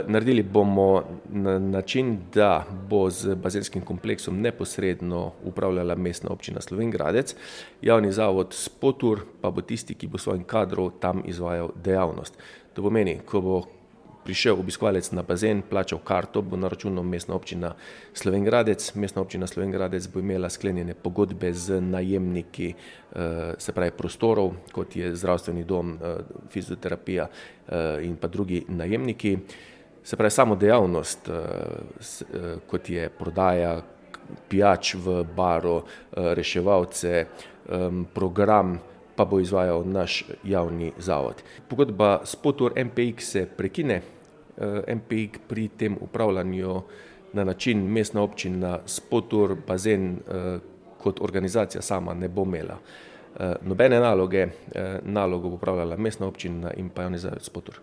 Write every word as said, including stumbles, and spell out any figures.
Naredili bomo na način, da bo z bazenskim kompleksom neposredno upravljala Mestna občina Slovenj Gradec, javni zavod Spotur pa bo tisti, ki bo svojim kadrom tam izvajal dejavnost. To pomeni, ko bo prišel obiskovalec na bazen, plačal karto, bo naračunal Mestna občina Slovenj Gradec, Mestna občina Slovenj Gradec bo imela sklenjene pogodbe z najemniki, se pravi prostorov, kot je zdravstveni dom, fizioterapija in pa drugi najemniki. Se pravi, samo dejavnost, kot je prodaja pijač v baru, reševalce, program, pa bo izvajal naš javni zavod. Pogodba Spotur M P X se prekine, M P X pri tem upravljanju na način Mestna občina Spotur bazen kot organizacija sama ne bo imela. Nobene naloge, nalogo bo opravljala Mestna občina in pa javni zavod Spotur.